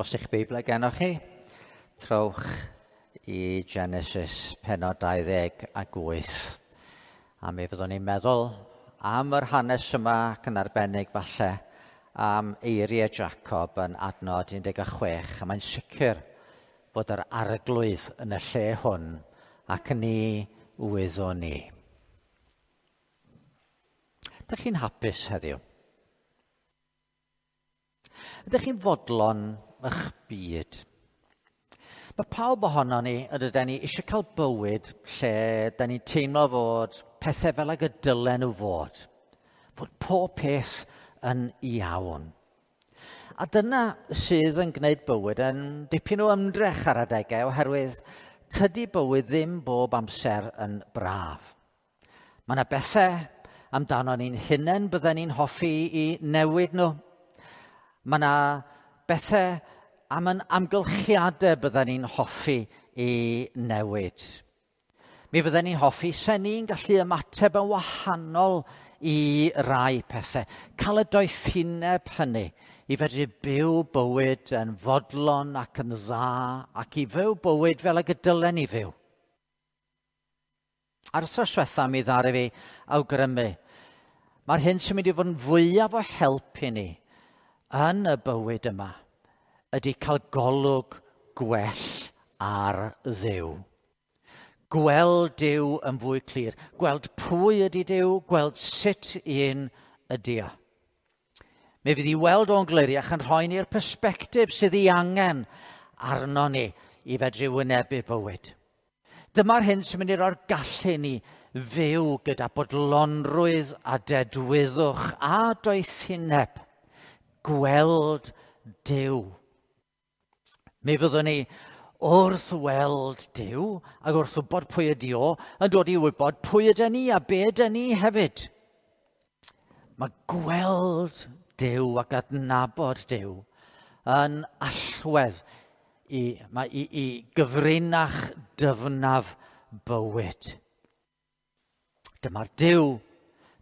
Os eich Beiblau gennoch chi, trowch i Genesis pennod 28. A mi fyddwn ni'n meddwl am yr hanes yma ac yn arbennig falle am eiriau Jacob yn adnod 16. A mae'n sicr bod yr Arglwydd yn y lle hwn ac ni wyddwn ni. Ydych chi'n hapus heddiw? Ydych chi'n fodlon eich byd? Mae pawb ohono ni, ydyn ni, eisiau cael bywyd lle da ni'n teimlo fod pethau fel ag y dylen nhw fod. Fod pob peth yn iawn. A dyna sydd yn gwneud bywyd yn dipyn o ymdrech ar adegau, oherwydd tydi bywyd ddim bob amser yn braf. Mae yna bethau amdano ni'n hunain bydden ni'n hoffi i newid nhw. Mae yna bethau am yn amgylchiadau bydden ni'n hoffi i newid. Mi fydden ni'n hoffi se ni'n gallu ymateb yn wahanol i rai pethau. Cael y doethineb hynny i fedru byw bywyd yn fodlon ac yn dda ac i fyw bywyd fel ag y dylen ni fyw. A'r wythnos diwetha mi ddaru fi awgrymu. Mae'r hyn sy'n mynd i fod yn fwyaf o help i ni yn y bywyd yma ydy cael golwg gwell ar Dduw. Gweld Duw yn fwy clir. Gweld pwy ydy Duw, gweld sut un ydy o. Mi fydd i weld o'n gliriach yn rhoi ni'r persbectif sydd ei angen arno ni i fedru wynebu bywyd. Dyma'r hyn sy'n mynd i roi'r gallu ni fyw gyda bodlonrwydd a dedwyddwch a doethineb. Gweld Duw. Mi fyddwn ni wrth weld Duw ac wrth wybod pwy ydy o, yn dod i wybod pwy ydyn ni a be ydyn ni hefyd. Mae gweld Duw ac adnabod Duw yn allwedd i gyfrinach dyfnaf bywyd. Dyma'r Duw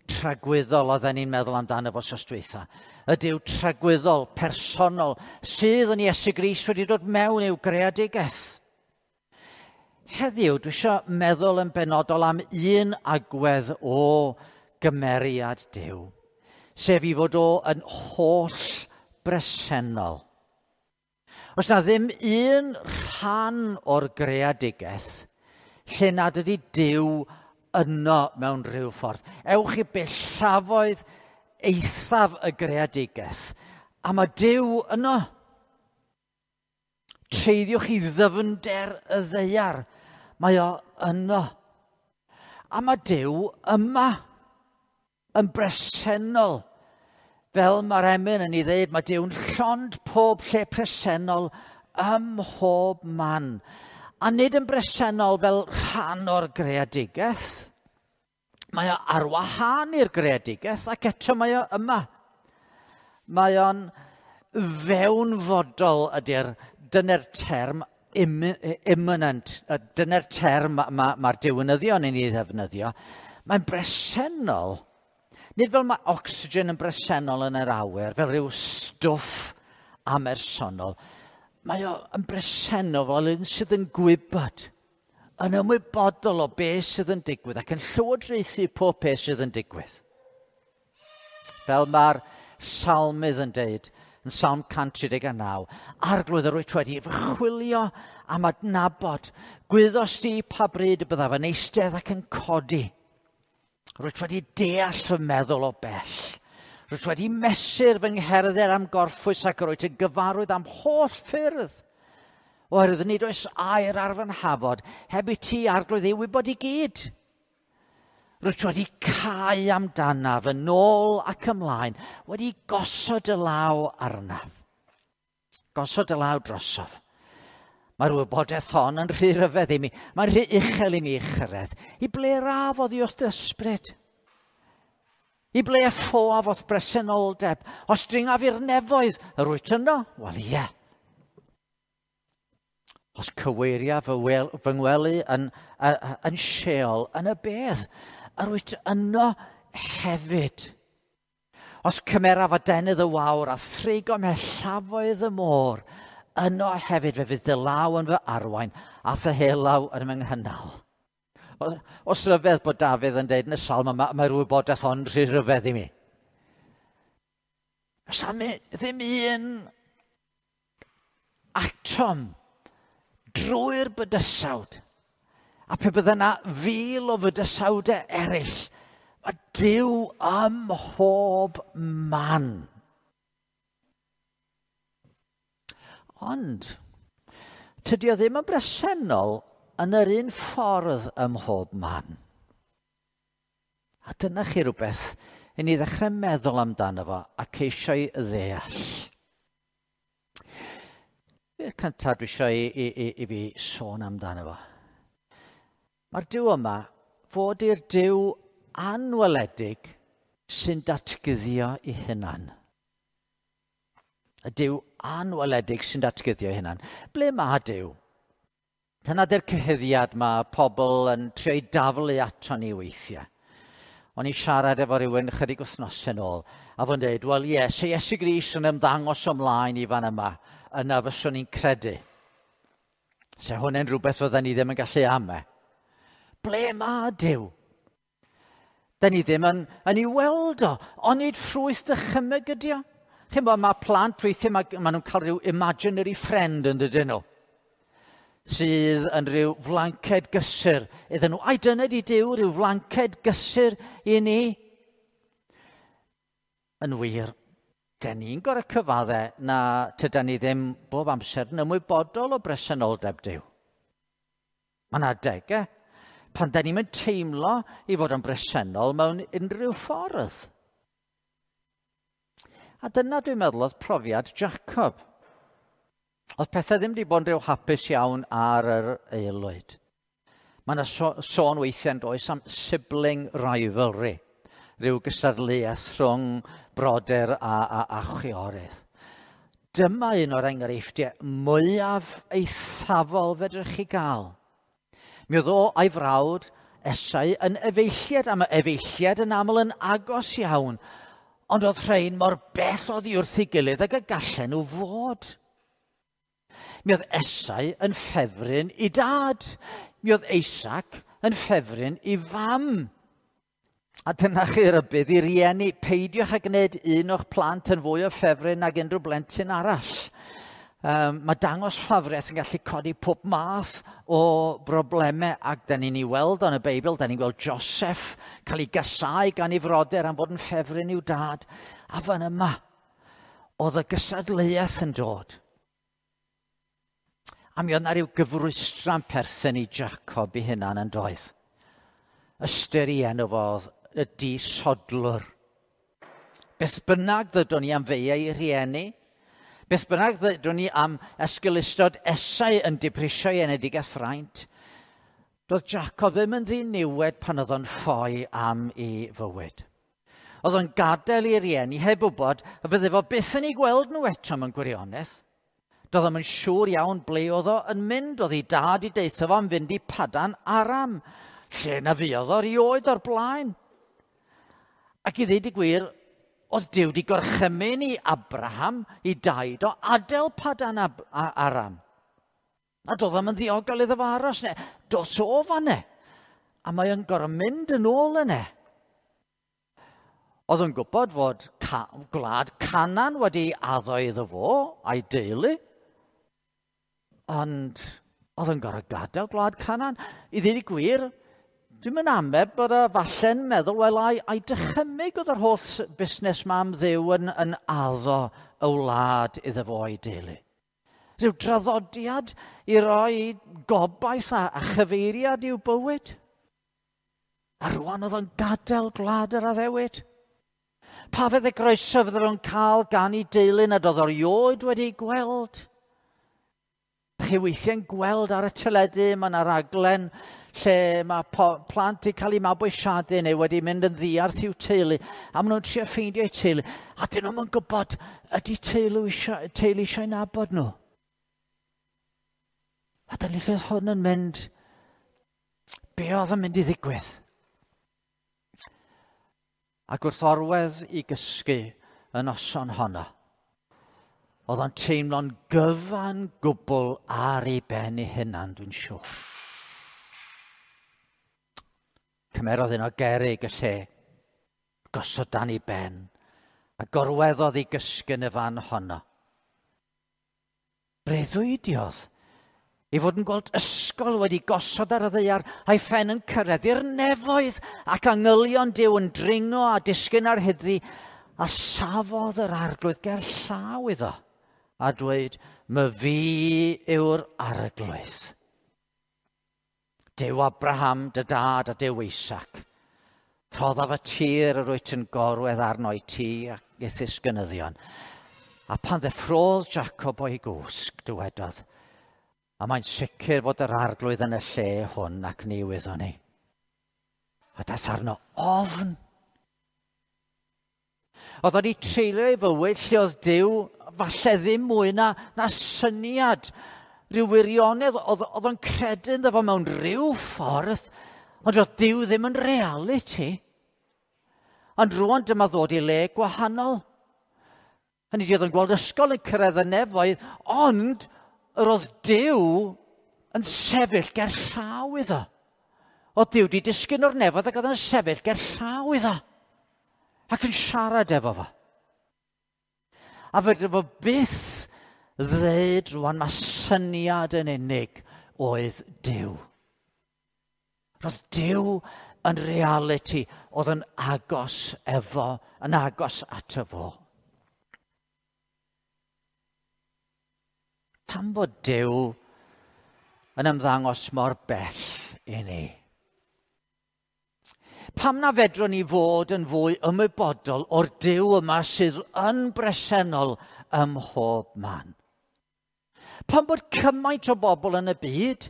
tragwyddol oedden ni'n meddwl amdano fo wsos dwytha. Y Duw tragwyddol, personol, sydd yn Iesu Grist wedi dod mewn i'w greadigaeth. Heddiw, dwi eisiau meddwl yn benodol am un agwedd o gymeriad Duw, sef i fod o yn holl bresennol. Oes na ddim un rhan o'r greadigaeth lle nad ydy Duw yno mewn rhyw ffordd. Ewch i bellafoedd eithaf y greadigaeth, a mae Duw yno. Treiddiwch i ddyfnder y ddaear, mae o yno. A mae Duw yma, yn bresennol. Fel mae'r emyn yn ei ddeud, mae Duw'n llond pob lle presennol ym mhob man. A nid yn bresennol fel rhan o'r greadigaeth. Mae o ar wahân i'r greadigaeth ac eto mae o yma. Mae o'n fewnfodol ydy'r, dyna'r term immanent, dyna'r term mae'r diwinyddion yn ei ddefnyddio. Mae'n bresennol. Nid fel mae oxygen yn bresennol yn yr awyr, fel rhyw stwff amersonol. Mae o yn bresennol fel un sydd yn gwybod, yn ymwybodol o beth sydd yn digwydd ac yn llywodraethu pob peth sydd yn digwydd. Fel mae'r salmydd yn deud yn Salm 139, Arglwydd, yr wyt wedi fy chwilio am adnabod, gwyddost di pa bryd y byddaf yn eistedd ac yn codi. Rwyt wedi deall fy meddwl o bell. Rwyt wedi mesur fy ngherdded am gorffwys ac rwyt yn gyfarwydd am holl ffyrdd. Oherwydd nid oes air ar fy nhafod, heb i ti, Arglwydd, ei wybod i gyd. Rwyt wedi cau amdanaf yn ôl ac ymlaen, wedi gosod y law arnaf. Gosod y law drosof. Mae'r wybodaeth hon yn rhy ryfedd i mi. Mae'n rhy uchel i mi ei chyrraedd. I ble raf oddi wrth dy ysbryd? I ble ffoaf o'th bresenoldeb? Os dringaf i'r nefoedd, yr wyt yno? Wel, ie. Os cyweiriaf fy ngwely yn Sheol, yn y bedd, yr wyt yno hefyd. Os cymeraf adenydd y wawr a thrigo mellafoedd y môr, Yno hefyd fe fydd dy law yn fy arwain a thy helaw yn fy nghynnal. Os rhyfedd bod Dafydd yn deud yn y salm yma, mae'r wybodaeth ond rhy rhyfedd i mi. Oes ddim un atom drwy'r bydysawd. A pe bydde yna 1,000 o fydysawdau eraill, mae Duw ym mhob man. Ond, tydi o ddim yn bresennol yn yr un ffordd ym mhob man. A dyna chi rhywbeth i ni ddechrau meddwl amdano fo a ceisio'i ddeall. Yr cyntaf dwi eisiau i fi sôn amdano fo. Mae'r Duw yma fod i'r Duw anweledig sy'n datguddio ei hunan. Y Duw anweledig sy'n datguddio ei hunan. Ble mae Duw? Dyna di'r cyhuddiad mae pobl yn trio'i daflu ato ni weithiau. O'n i siarad efo rhywun chydig wythnosau yn ôl, a fo'n dweud, wel ie, se Iesu Grist yn ymddangos ymlaen i fan yma, yna fyswn i'n credu. Se hwnna'n rhywbeth fydden ni ddim yn gallu ame. Ble mae Duw? Da ni ddim yn ei weld o, onid ffrwyth dychymyg ydi o? Chi'n bod, mae plant weithiau, mae nhw'n cael rhyw imaginary friend yn dydyn nhw, sydd yn rhyw flanced gysur iddyn nhw. Ai dyna di Duw, rhyw flanced gysur i ni? Yn wir, den ni'n gorau cyfadde na tydan ni ddim bob amser yn ymwybodol o bresenoldeb Duw. Mae yna adegau pan da ni'n teimlo i fod yn bresennol mewn unrhyw ffordd. A dyna dwi'n meddwl oedd profiad Jacob. Oedd pethau ddim wedi bod yn rhyw hapus iawn ar yr aelwyd. Mae yna sôn weithiau yn does am sibling rivalry, rhyw gystadleuaeth rhwng brodyr a chwiorydd. Dyma un o'r enghreifftiau mwyaf eithafol fedrwch chi gael. Mi oedd o a'i frawd Esau yn efeilliad, a mae efeilliad yn aml yn agos iawn, ond oedd rhain mor bell oddi wrth ei gilydd ag y gallen nhw fod. Mi oedd Esau yn ffefryn i dad. Mi oedd Isaac yn ffefryn i fam. A dyna chi rybudd i rieni, peidiwch â gwneud un o'ch plant yn fwy o ffefryn nag unrhyw blentyn arall. Mae dangos ffafriaeth yn gallu codi pob math o broblemau, ac da ni'n ei weld yn y Beibl, da ni'n gweld Joseph cael ei gasau gan ei frodyr am fod yn ffefryn i'w dad. A fan yma, oedd y gysadleuaeth yn dod. A mi oedd yna rhyw gyfrwystra'n perthyn i Jacob i hunan yn doedd. Ystyr i enw fo oedd y disodlwr. Beth bynnag ddydwn ni am feiau i rieni, beth bynnag ddydwn ni am esgeulustod Esau yn diprisio ei enedigaeth fraint, doedd Jacob ddim yn ddiniwed pan oedd o'n ffoi am ei fywyd. Oedd o'n gadael i rieni heb wybod y fydde fo byth yn ei gweld nhw eto mewn gwirionedd. Doedd o'm yn siŵr iawn ble oedd o yn mynd, oedd ei dad i deithio fo am fynd i Padan Aram, lle na fuodd o erioed o'r blaen. Ac i ddweud y gwir, oedd Duw wedi gorchymyn i Abraham, i daid o, adael Padan Aram. A doedd o'm yn ddiogel iddo fo aros ne. Dos o fan ne. A mae o'n gorfod mynd yn ôl yne. Oedd o'n gwybod fod gwlad Canaan wedi addo iddo fo a'i deulu. Ond oedd o'n gorfod gadael gwlad Canaan. I ddweud y gwir, dwi'n mynd ame bod o falle'n meddwl, wel, ai dychymyg oedd yr holl busnes ma am Dduw yn addo y wlad iddo fo a'i deulu. Rhyw draddodiad i roi gobaith a chyfeiriad i'w bywyd. A rwan oedd o'n gadael gwlad yr addewid. Pa fedd y groeso fydden nhw'n cael gan ei deulu nad oedd erioed wedi gweld? Chi weithiau'n gweld ar y teledu, mae yna raglen lle mae plant wedi cael eu mabwysiadu neu wedi mynd yn ddiarth i'w teulu, a maen nhw'n trio ffeindio eu teulu, a dyn nhw'm yn gwybod ydy teulu eisiau nabod nhw. A dyna lle oedd hwn yn mynd, be oedd yn mynd i ddigwydd? Ac wrth orwedd i gysgu y noson honno, Oedd o'n teimlo'n gyfan gwbl ar ei ben ei hunan, dwi'n siŵr. Cymerodd un o gerrig y lle, gosod dan ei ben, a gorweddodd i gysgu yn y fan honno. Breuddwydiodd ei fod yn gweld ysgol wedi gosod ar y ddaear a'i phen yn cyrraedd i'r nefoedd ac angylion Duw yn dringo a disgyn ar hyddi, a safodd yr arglwydd ger llaw iddo a dweud, "My fi yw'r arglwydd. Duw Abraham, dy dad, a Duw Isaac. Rhoddaf y tir yr wyt yn gorwedd arno i ti ac i'th ddisgynyddion." A pan ddeffrodd Jacob o'i gwsg, dywedodd, "A mae'n sicr bod yr arglwydd yn y lle hwn ac ni wyddwn ni." A daeth arno ofn. Oedd wedi treulio ei fywyd lle oedd Duw falle ddim mwy na syniad, rhyw wirionedd, oedd o'n credu ynddo fo mewn rhyw ffordd, ond oedd Duw ddim yn realiti. Ond rwan dyma ddod i le gwahanol. Hynny ydi, oedd o'n gweld ysgol yn cyrraedd y nefoedd, ond yr oedd Duw yn sefyll ger llaw iddo. Oedd Duw wedi disgyn o'r nefoedd ac oedd yn sefyll ger llaw iddo. Ac yn siarad efo fo. A fedr fo byth ddeud rwan mae syniad yn unig oedd Duw. Roedd Duw yn realiti oedd yn agos efo, yn agos ato fo. Pam bod Duw yn ymddangos mor bell i ni? Pam na fedrwn ni fod yn fwy ymwybodol o'r Duw yma sydd yn bresennol ym mhob man? Pam bod cymaint o bobl yn y byd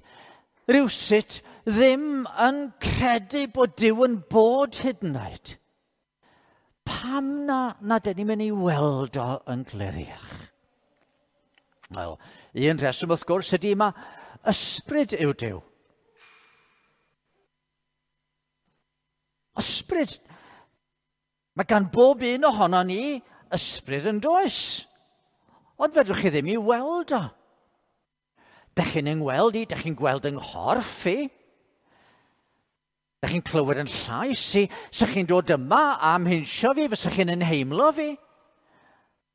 rywsut ddim yn credu bod Duw yn bod hyd yn oed? Pam na dyn ni'n mynd i weld o yn gliriach? Wel, un rheswm wrth gwrs ydy ma ysbryd yw Duw. Ysbryd. Mae gan bob un ohono ni ysbryd yn does. Ond fedrwch chi ddim i weld o. Dych chi'n yngweld i, dych chi'n gweld yng nghorff i. Dych chi'n clywed yn llais i. Sych chi'n dod yma am hinsio fi, fysych chi'n ynheimlo fi.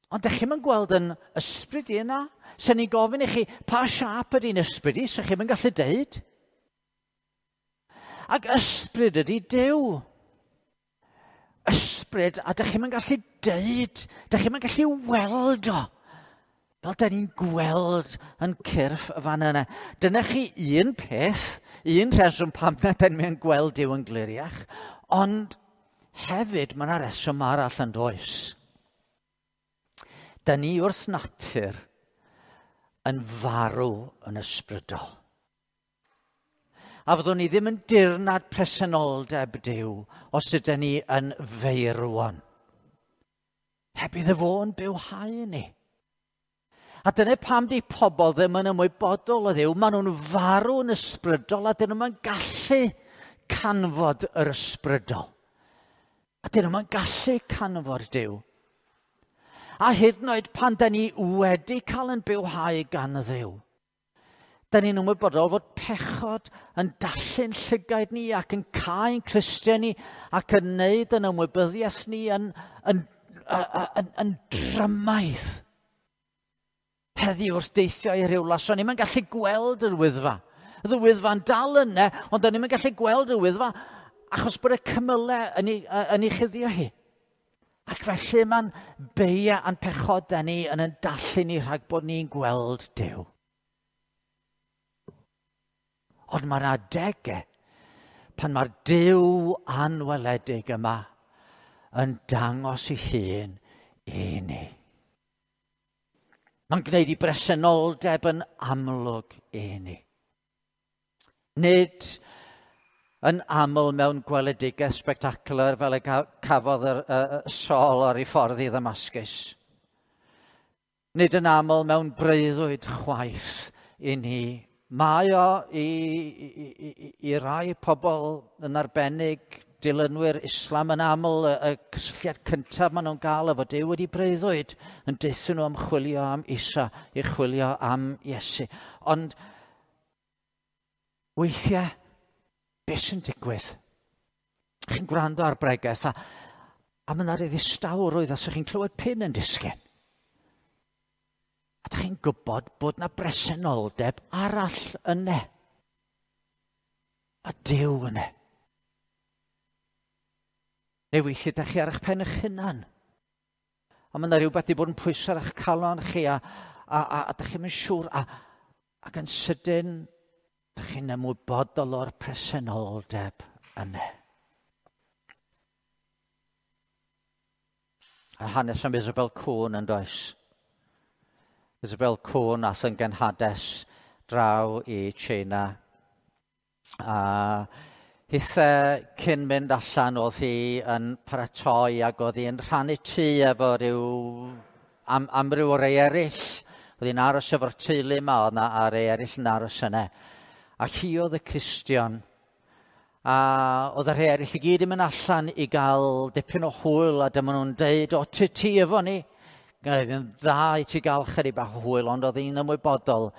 Ond dych chi'm yn gweld yn ysbryd i yna. Sen ni'n gofyn i chi, pa siâp ydy'n ysbryd i, sych chi'm yn gallu deud. Ac ysbryd ydy Duw. Ysbryd, a dych chi'm yn gallu deud, dych chi'm yn gallu weld o. Fel da ni'n gweld yn cyrff y fan yna. Dyna chi un peth, un rheswm pam na da ni'n gweld Duw yn gliriach, ond hefyd mae yna reswm arall yn does. Da ni wrth natur yn farw yn ysbrydol. A fyddwn ni ddim yn dirnad presenoldeb Duw os ydyn ni yn feirwon. Heb iddo fo yn bywhau ni. A dyna pam di pobl ddim yn ymwybodol o Dduw. Maen nhw'n farw yn ysbrydol a dyn nhw'n gallu canfod yr ysbrydol. A dyn nhw'n gallu canfod Duw. A hyd yn oed pan da ni wedi cael yn bywhau gan Dduw, da ni'n ymwybodol fod pechod yn dallu'n llygaid ni ac yn cau'n clustiau ni ac yn neud yn ymwybyddiaeth ni yn drymaidd. Heddiw wrth deithio i Rhiwlas, o'n i'm yn gallu gweld yr Wyddfa. Oedd y Wyddfa'n dal yna, ond o'n i'm yn gallu gweld yr Wyddfa achos bod y cymylau yn ei chuddio hi. Ac felly mae'n beia a'n pechodau ni yn dallu ni rhag bod ni'n gweld Duw. Ond mae'r adegau pan mae'r Duw anweledig yma yn dangos ei hun i ni. Mae'n gwneud ei bresenoldeb yn amlwg i ni. Nid yn aml mewn gweledigaeth spectacular fel y cafodd y Saul ar ei ffordd i Ddamascus. Nid yn aml mewn breuddwyd chwaith i ni. Mae o i rai pobl yn arbennig Dilynwyr Islam yn aml, y cysylltiad cyntaf maen nhw'n gael efo Duw wedi breuddwyd yn deuthyn nhw am chwilio am Isa, i chwilio am Iesu. Ond weithiau, beth sy'n digwydd? Chi'n gwrando ar bregeth a mae yna rhyw ddistawrwydd a chi'n clywed pin yn disgyn. A dych chi'n gwybod bod yna bresenoldeb arall yna. A Duw yna. Neu weithiau ydych chi ar eich pen eich hunan. A mae yna rhywbeth wedi bod yn pwyso ar eich calon chi a dych chi'n mynd siŵr. Ac yn sydyn, dych chi'n ymwybodol o'r presenoldeb yna. A hanes am Isabel Cwn yn does. Isabel Cwn ath yn genhades draw i China. A hithe cyn mynd allan oedd hi yn paratoi ac oedd hi'n rhannu tŷ efo rhyw amryw o rei eraill. Oedd hi'n aros efo'r teulu yma, oedd na a rei eraill yn aros yna. A hi oedd y Cristion. A oedd y rhai eraill i gyd yn mynd allan i gael dipyn o hwyl a dyma nhw'n deud, o, ti efo ni. Oedd yn dda i ti gael chydig bach o hwyl, ond oedd hi'n ymwybodol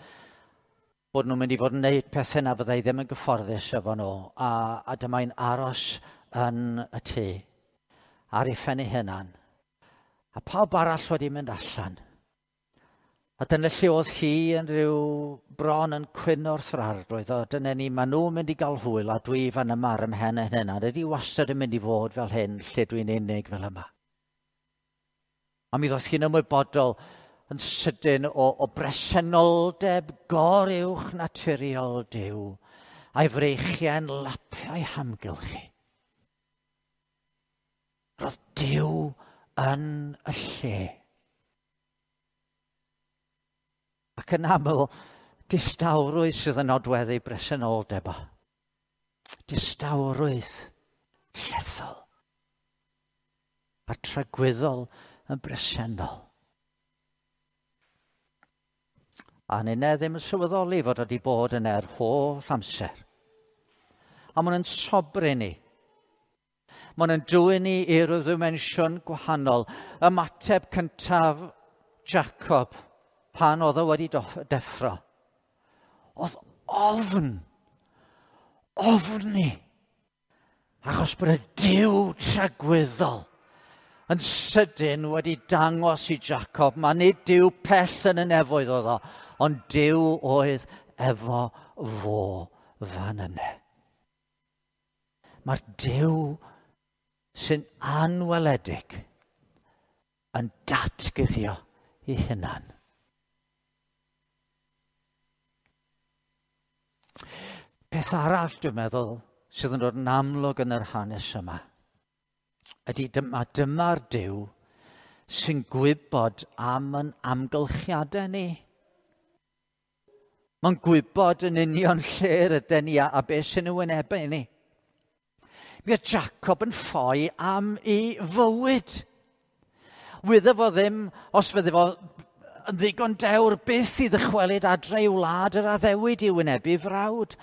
bod nhw'n mynd i fod yn gwneud pethau na fyddai ddim yn gyfforddus efo nhw. A dyma'n aros yn y tŷ, ar ei phen ei hunan. A pawb arall wedi mynd allan. A dyna lle oedd hi yn rhyw bron yn cwyno wrth yr arglwydd. O, dyna ni, maen nhw'n mynd i gael hwyl a dwi fan yma ar ymhen y hunan. Ydy wastad yn mynd i fod fel hyn, lle dwi'n unig fel yma. A mi ddoth hi'n ymwybodol yn sydyn o bresenoldeb goruwch naturiol Duw a'i freichiau'n lapio'i hamgylchu. Roedd Duw yn y lle. Ac yn aml, distawrwydd sydd yn nodweddu bresenoldeb o. Distawrwydd llethol a tragwyddol yn bresennol. A ninne ddim yn sylweddoli fod wedi bod yn yr holl amser. A maen nhw'n sobri ni. Maen nhw'n dwyn ni i ryw ddimensiwn gwahanol. Ymateb cyntaf Jacob pan oedd o wedi deffro. Oedd ofn. Ofni. Achos bod y Duw tragwyddol yn sydyn wedi dangos i Jacob. Mae nid Duw pell yn y nefoedd oedd o, ond Duw oedd efo fo fan yna. Mae'r Duw sy'n anweledig yn datguddio ei hunan. Peth arall, dwi'n meddwl, sydd yn dod yn amlwg yn yr hanes yma, ydy dyma'r Duw sy'n gwybod am yn amgylchiadau ni. Mae'n gwybod yn union lle rydyn ni a beth sy'n wynebu ni. Mi oedd Jacob yn ffoi am ei fywyd. Wyddo fo ddim, os fydde fo yn ddigon dewr byth i ddychwelyd adre i'w wlad yr addewid i wynebu frawd.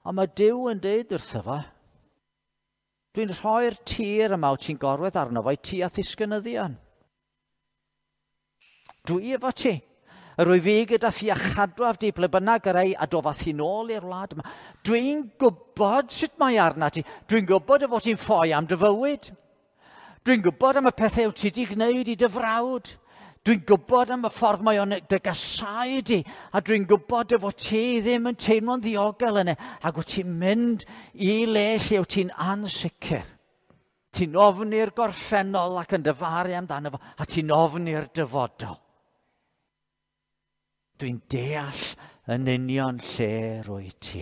Ond mae Duw yn dweud wrtho fo, dwi'n rhoi'r tir yma wyt ti'n gorwedd arno fo i ti a ddisgynyddion. Dwi efo ti. Yr wyf fi gyda thi a chadwaf di ble bynnag yr ei a dofath hi nôl i'r wlad yma. Dwi'n gwybod sut mae arna ti. Dwi'n gwybod y fod ti'n ffoi am dy fywyd. Dwi'n gwybod am y pethau wyt ti wedi gwneud i dy frawd. Dwi'n gwybod am y ffordd mae o'n dy gasau di, a dwi'n gwybod dy fod ti ddim yn teimlo'n ddiogel yna, ac wyt ti'n mynd i le lle wyt ti'n ansicr. Ti'n ofni'r gorffennol ac yn dyfaru amdano fo, a ti'n ofni'r dyfodol. Dwi'n deall yn union lle rwy ti.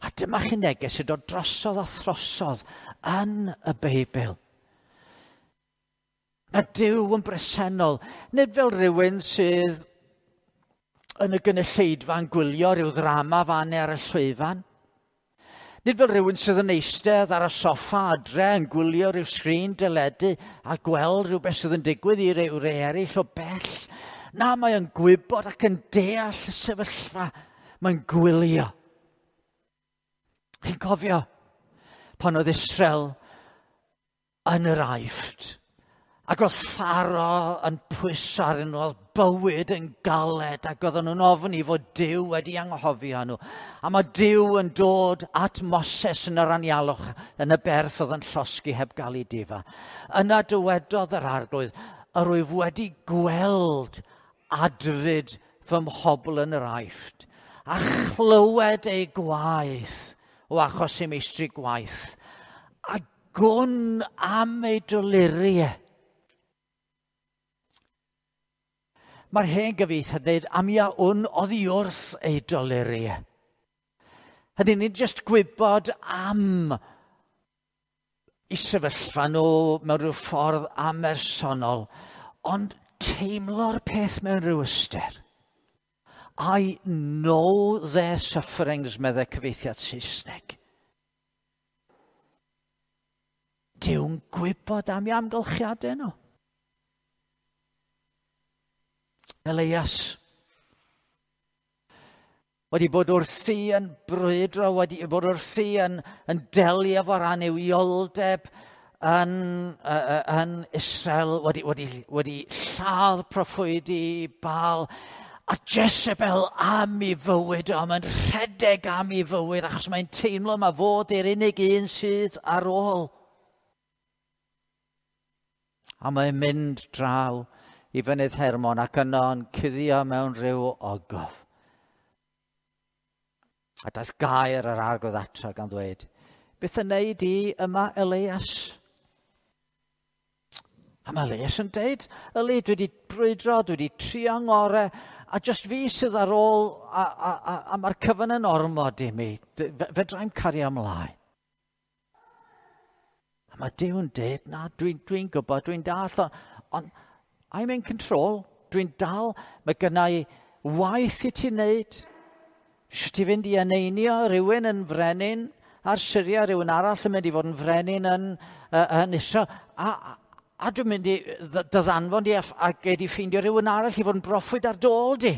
A dyma chi neges sy'n dod drosodd a throsodd yn y Beibl. Mae Duw yn bresennol, nid fel rhywun sydd yn y gynulleidfa'n gwylio rhyw ddrama fan ar y llwyfan. Nid fel rhywun sydd yn eistedd ar y soffa adre yn gwylio rhyw sgrin deledu a gweld rhywbeth sydd yn digwydd i ryw rei eraill o bell. Na, mae o'n gwybod ac yn deall y sefyllfa. Mae'n gwylio. Chi'n cofio? Pan oedd Israel yn yr Aifft, ac oedd Pharo yn pwyso arnyn nhw, oedd bywyd yn galed, ac oedden nhw'n ofni fod Duw wedi anghofio nhw. A mae Duw yn dod at Moses yn yr anialwch, yn y berth oedd yn llosgi heb gael ei difa. Yna dywedodd yr Arglwydd, yr wyf wedi gweld adfyd fy mhobl yn yr Aifft, a chlywed eu gwaith o achos eu meistri gwaith, a gwn am eu doluriau. Mae'r hen gyfieithiad yn dweud am ia wn oddi wrth ei doluriau. Hynny, nid jyst gwybod am i sefyllfa nhw mewn rhyw ffordd amersonol, ond teimlo'r peth mewn rhyw ystyr. I know their sufferings, meddai cyfieithiad Saesneg. Dyw'n gwybod am ei amgylchiadau nhw. Elias wedi bod wrthi yn brwydro, wedi bod wrthi yn delio efo'r annuwioldeb yn Israel, wedi lladd proffwydi Baal, a Jezebel am ei fywyd, a mae'n rhedeg am ei fywyd, achos mae'n teimlo mae fod i'r unig un sydd ar ôl. A mae'n mynd draw i fynydd Hermon ac yno yn cuddio mewn rhyw ogof. A daeth gair yr Arglwydd ato gan ddweud, beth yn neud i yma, Elias? A mae Elias yn deud, Eli, dwi wedi brwydro, dwi wedi trio ngorau, a jyst fi sydd ar ôl, a mae'r cyfan yn ormod i mi, fedrai'm cario ymlaen. A mae Duw yn deud, na, dwi'n gwybod, dwi'n dall, ond I'm in control, dwi'n dal, mae gynna i waith i ti wneud. Eisiau ti fynd i eneinio rhywun yn frenin ar Syria, rhywun arall yn mynd i fod yn frenin yn Israel. A dwi'n mynd i dy ddanfon di a gei di ffeindio rhywun arall i fod yn broffwyd ar dôl di.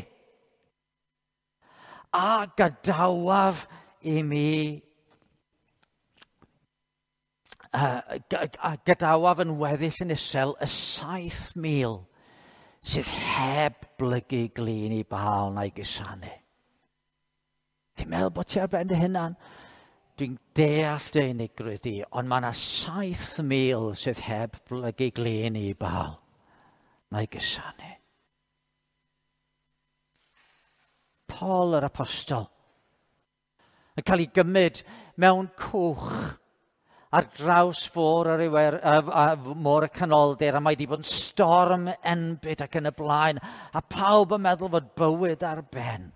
A gadawaf i mi, a gadawaf yn weddill yn Israel y 7,000 sydd heb blygu glin i Baal na'i gusanu. Ti'n meddwl bod ti ar ben dy hunan? Dwi'n deall dy unigrwydd di, ond mae yna 7,000 sydd heb blygu glin i Baal na'i gusanu. Paul yr apostol yn cael ei gymryd mewn cwch ar draws fôr yr Iwer, môr y Canoldir, a mae wedi bod yn storm enbyd ac yn y blaen, a pawb yn meddwl fod bywyd ar ben.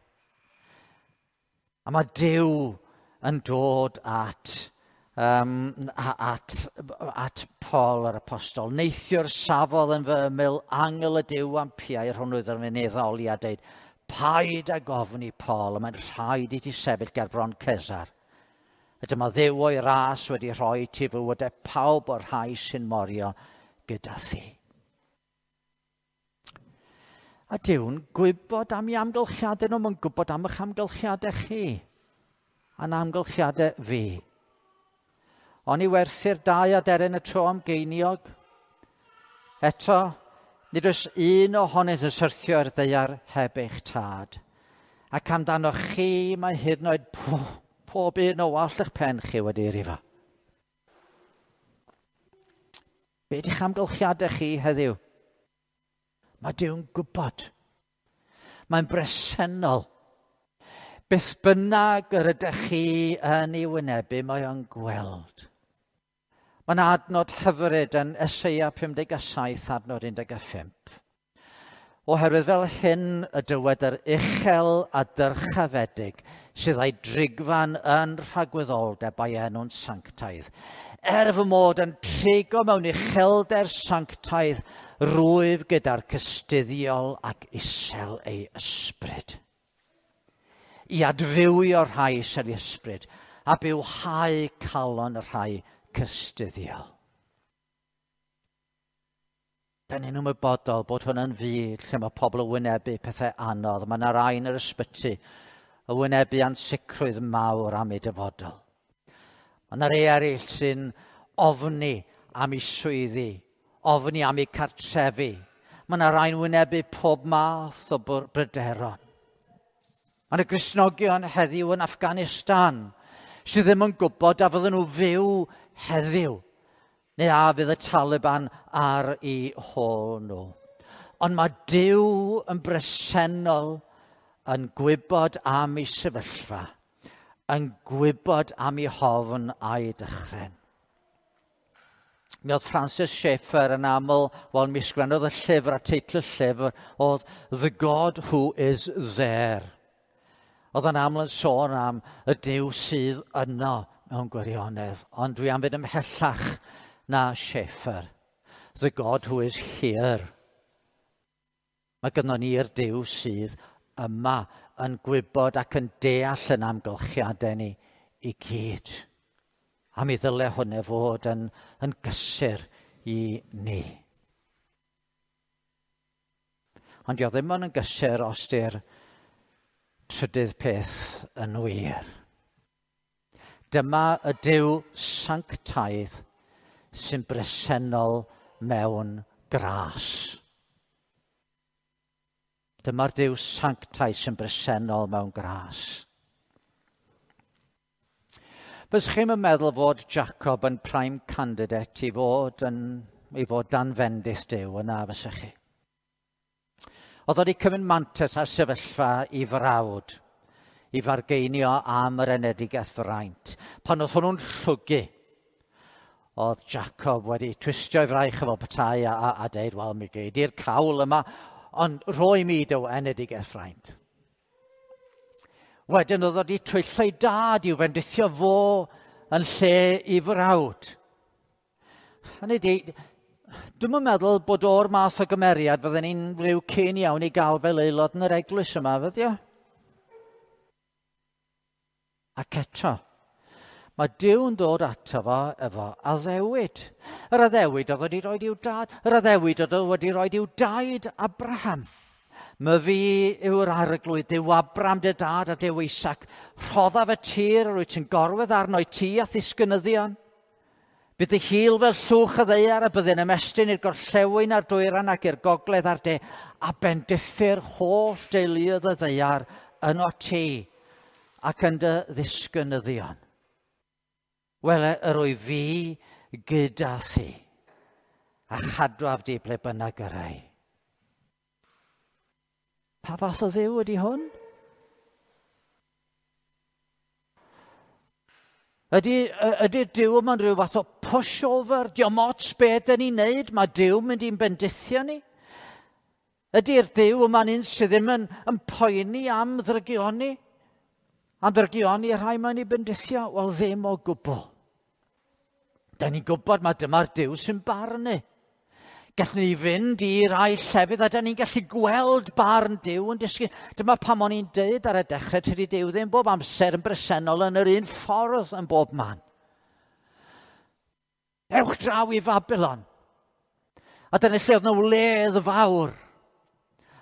A mae Duw yn dod at Paul yr apostol. Neithiwr safodd yn fy ymyl angel y Duw am piau rhwng oedd yn ei ddoli a deud, paid ag ofni Paul, a mae'n rhaid i ti sefyll ger bron Cesar. A dyma Dduw o'i ras wedi rhoi ti fywydau pawb o'r rhai sy'n morio gyda thi. A Duw'n gwybod am ei amgylchiadau nhw, mae'n gwybod am eich amgylchiadau chi, a'n amgylchiadau fi. Ond i werthu'r dau aderyn y tro am geiniog. Eto, nid oes un ohonynt yn syrthio i'r ddaear heb eich tad. Ac amdano chi mae hyd yn oed pob un o wallt eich pen chi wedi rifo. Be ydych amgylchiadau chi heddiw? Mae Duw'n gwybod. Mae'n bresennol. Beth bynnag yr ydych chi yn ei wynebu, mae o'n gweld. Mae'n adnod hyfryd yn Eseia 57, adnod 15. Oherwydd fel hyn y dywed yr uchel a dyrchafedig sydd â'i drigfan yn rhagwyddoldeb a'i enw'n sanctaidd. Er fy mod yn trigo mewn uchelder sanctaidd, rwyf gyda'r cystuddiol ac isel ei ysbryd. I adfywio'r rhai isel ei ysbryd a bywhau calon y rhai cystuddiol. Da ni'n ymwybodol bod hwn yn fyd lle mae pobl yn wynebu pethau anodd. Mae yna rai yn yr ysbyty yn wynebu ansicrwydd mawr am eu dyfodol. Mae yna rei eraill sy'n ofni am eu swyddi, ofni am eu cartrefi. Mae yna rai'n wynebu pob math o bryderon. Mae yna Gristnogion heddiw yn Afghanistan sydd ddim yn gwybod a fydden nhw fyw heddiw neu a fydd y Taliban ar eu hôl nhw. Ond mae Duw yn bresennol yn gwybod am ei sefyllfa, yn gwybod am ei hofn a'i dychryn. Mi oedd Francis Schaeffer yn aml, wel, mi sgwennodd y llyfr a teitl y llyfr oedd The God Who Is There. Oedd yn aml yn sôn am y Duw sydd yno mewn gwirionedd, ond dwi am fynd ymhellach na Schaeffer. The God who is here. Mae gynnon ni'r Duw sydd yma yn gwybod ac yn deall yn amgylchiadau ni i gyd. A mi ddyle hwnna fod yn gysur i ni. Ond dio ddim ond yn gysur os di'r trydydd peth yn wir. Dyma y Duw sanctaidd sy'n bresennol mewn gras. Dyma'r Duw sanctaidd sy'n bresennol mewn gras. Fysech chi'm yn meddwl fod Jacob yn prime candidate i fod dan fendith Duw yna, fysech chi? Oedd wedi cymryd mantais ar sefyllfa i frawd, i fargeinio am yr enedigaeth fraint. Pan oedd hwnnw'n llwgu, oedd Jacob wedi twistio ei fraich efo petai a deud, "Wel, mi gei di'r cawl yma, ond rhoi mi dy enedigaeth fraint." Wedyn oedd wedi twyllo ei dad i'w fendithio fo yn lle i frawd. Hynny di, dwi'm yn meddwl bod o'r math o gymeriad fydden ni'n rhyw keen iawn i gael fel aelod yn yr eglwys yma, fyddi o? Ac eto, mae Duw yn dod ato fo efo addewid. Yr addewid oedd wedi rhoi i'w dad, yr addewid oedd wedi rhoi i'w daid Abraham. "Myfi yw'r Arglwydd, Duw Abram dy dad a Duw Isaac. Rhoddaf y tir yr wyt ti'n gorwedd arno i ti a ddisgynyddion. Bydd dy hil fel llwch y ddaear a byddi'n ymestyn i'r gorllewin a'r dwyran ac i'r gogledd a'r de a bendithir holl deuluoedd y ddaear yno ti ac yn dy ddisgynyddion. Wele yr wyf fi gyda thi a chadwaf di ble bynnag yr ei." Pa fath o Dduw ydy hwn? Ydy'r Duw yma'n rhyw fath o pushover? Dio'm ots beth dyn ni'n neud? Mae Duw mynd i'n bendithio ni? Ydy'r Duw yma'n un sydd ddim yn poeni am ddrygioni? Am ddrygioni y rhai mae'n ei bendithio? Wel, ddim o gwbl. Da ni'n gwybod mae dyma'r Duw sy'n barnu. Gallwn ni fynd i rai llefydd a da ni'n gallu gweld barn Duw yn disgyn. Dyma pam o'n i'n deud ar y dechrau, tydi Duw ddim bob amser yn bresennol yn yr un ffordd yn bob man. Ewch draw i Fabilon. A dyna lle oedd 'na wledd fawr.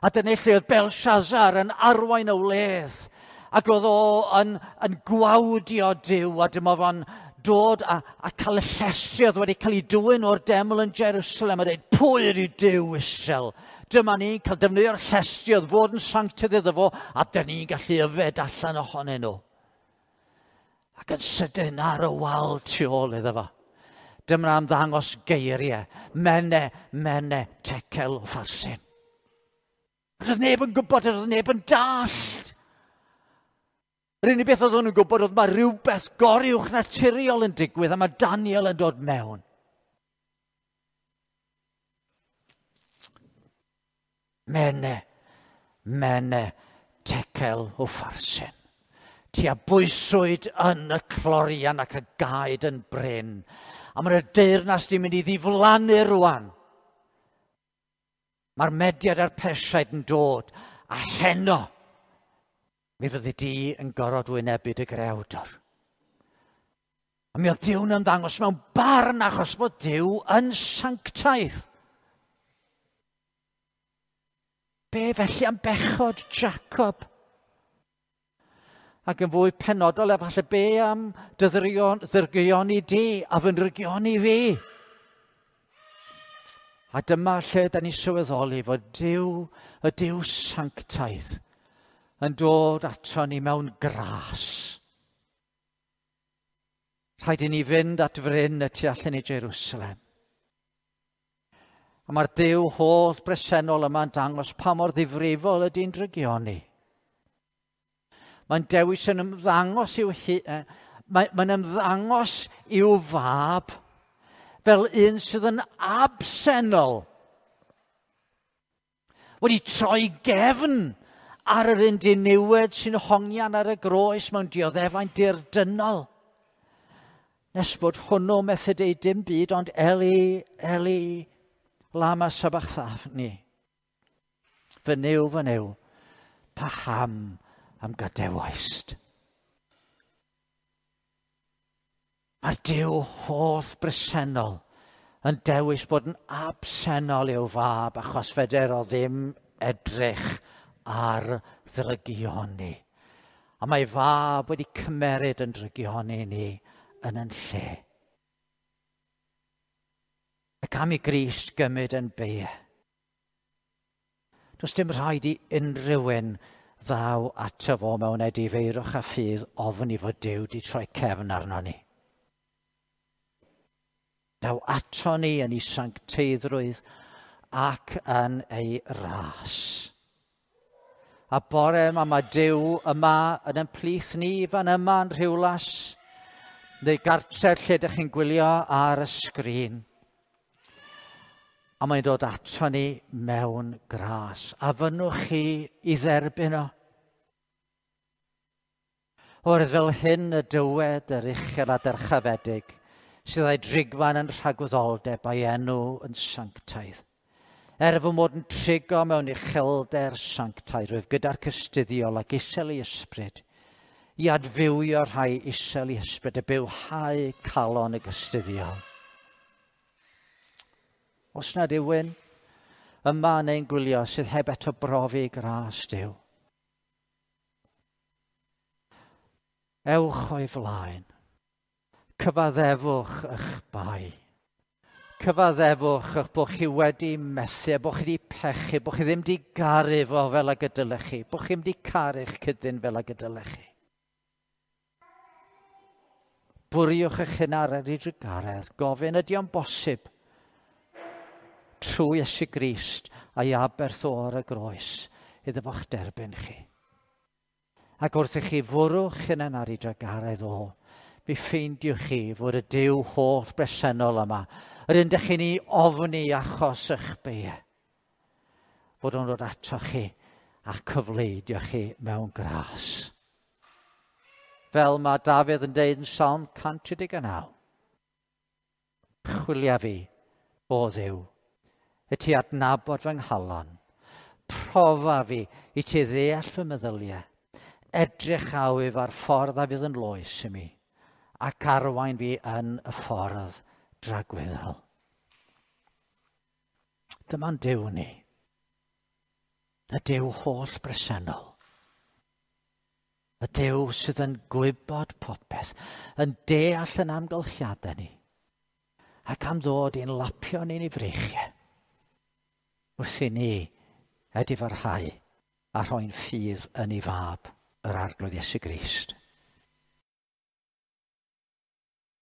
A dyna lle oedd Belshazzar yn arwain y wledd. Ac oedd o yn gwawdio Duw a dyma fo'n dod a cael y llestri oedd wedi cael ei dwyn o'r deml yn Jerusalem a dweud, "Pwy ydy Duw Israel? Dyma ni'n cael defnyddio'r llestri oedd fod yn sanctaidd iddo fo, a dyn ni'n gallu yfed allan ohonyn nhw." Ac yn sydyn ar y wal tu ôl iddo fo, dyma ymddangos geiriau, "Mene, mene, tekel upharsin." Roedd neb yn gwybod, roedd neb yn dallt. Yr unig beth oedd nhw'n gwybod oedd mae rhywbeth goruwch naturiol yn digwydd a mae Daniel yn dod mewn. "Mene, mene, tekel upharsin. Ti a bwyswyd yn y clorian ac a gaed yn brin." A mae'r deyrnas di mynd i ddiflannu rwan. Mae'r Mediaid a'r Persiaid yn dod a heno mi fyddi di yn gorfod wynebu dy greawdwr. A mi oedd Duw'n ymddangos mewn barn achos bod Duw yn sanctaidd. Be felly am bechod Jacob? Ac yn fwy penodol, efallai be am dy ddrygioni di a fy nrygioni fi? A dyma lle da ni sylweddoli fod Duw, y Duw sanctaidd, yn dod ato ni mewn gras. Rhaid i ni fynd at fryn y tu allan i Jerusalem. A mae'r Duw holl bresennol yma'n dangos pa mor ddifrifol ydy'n drygioni. Mae'n dewis yn ymddangos i'w mae'n ymddangos i'w fab fel un sydd yn absennol. Wedi troi gefn ar yr un diniwed sy'n hongian ar y groes mewn dioddefaint dirdynnol. Nes bod hwnnw methu deud dim byd ond Eli, Eli, lama sabachthani. Fy Nuw, fy Nuw, paham am gadewaist? Mae'r Duw holl bresennol yn dewis bod yn absennol i'w fab achos feder o ddim edrych ar ddrygioni. A mae fab wedi cymeryd yn drygioni ni yn yn lle. Ac am i Grist gymryd yn beie. Does dim rhaid i unrhyw un ddaw ato fo mewn edifeirwch a ffydd ofn i fod Duw di troi cefn arno ni. Daw ato ni yn ei sancteiddrwydd ac yn ei ras. A bore yma mae Duw yma yn ein plith ni fan yma yn Rhiwlas, neu gartref lle ydych chi'n gwylio ar y sgrin. A mae'n dod ato ni mewn gras. A fynnwch chi i dderbyn o. Oherwydd fel hyn y dywed yr uchel a dyrchafedig, sydd â'i drigfan yn rhagwyddoldeb a'i enw yn sanctaidd. Er fy mod yn trigo mewn uchelder sanctaidd, rwyf gyda'r cystuddiol ac isel i ysbryd, i adfywio rhai isel i ysbryd a bywhau calon y gystuddiol. Os nad yw'n yma neu'n gwylio sydd heb eto brofi gras Duw, ewch o'i flaen, cyfaddefwch eich bai. Cyfaddefwch eich bod chi wedi methu, bod chi wedi pechu, bod chi ddim wedi garu fo fel ag y dylech chi, bod chi ddim wedi caru'ch cydyn fel ag y dylech chi. Bwriwch eich hun ar ei drugaredd, gofyn ydy o'n bosib trwy Iesu Grist a'i aberth o ar y groes iddo fo'ch derbyn chi. Ac wrth i chi fwrwch hunan ar ei drugaredd o, mi ffeindiwch chi fod y Duw holl bresennol yma, yr un dych chi'n ei ofni achos eich beie, bod o'n dod ato chi a'ch cyfleidio chi mewn gras. Fel mae Dafydd yn deud yn Salm 139, chwilia fi, o Dduw, i ti adnabod fy nghalon, profa fi i ti ddeall fy meddyliau, edrych awyf ar ffordd a fydd yn loes i mi, ac arwain fi yn y ffordd dragwyddol. Dyma'n Duw ni, y Duw holl bresennol, y Duw sydd yn gwybod popeth, yn deall yn amgylchiadau ni, ac am ddod i'n lapio ni'n ei freichiau, wrth i ni edifarhau a rhoi'n ffydd yn ei fab, yr Arglwydd Iesu Grist.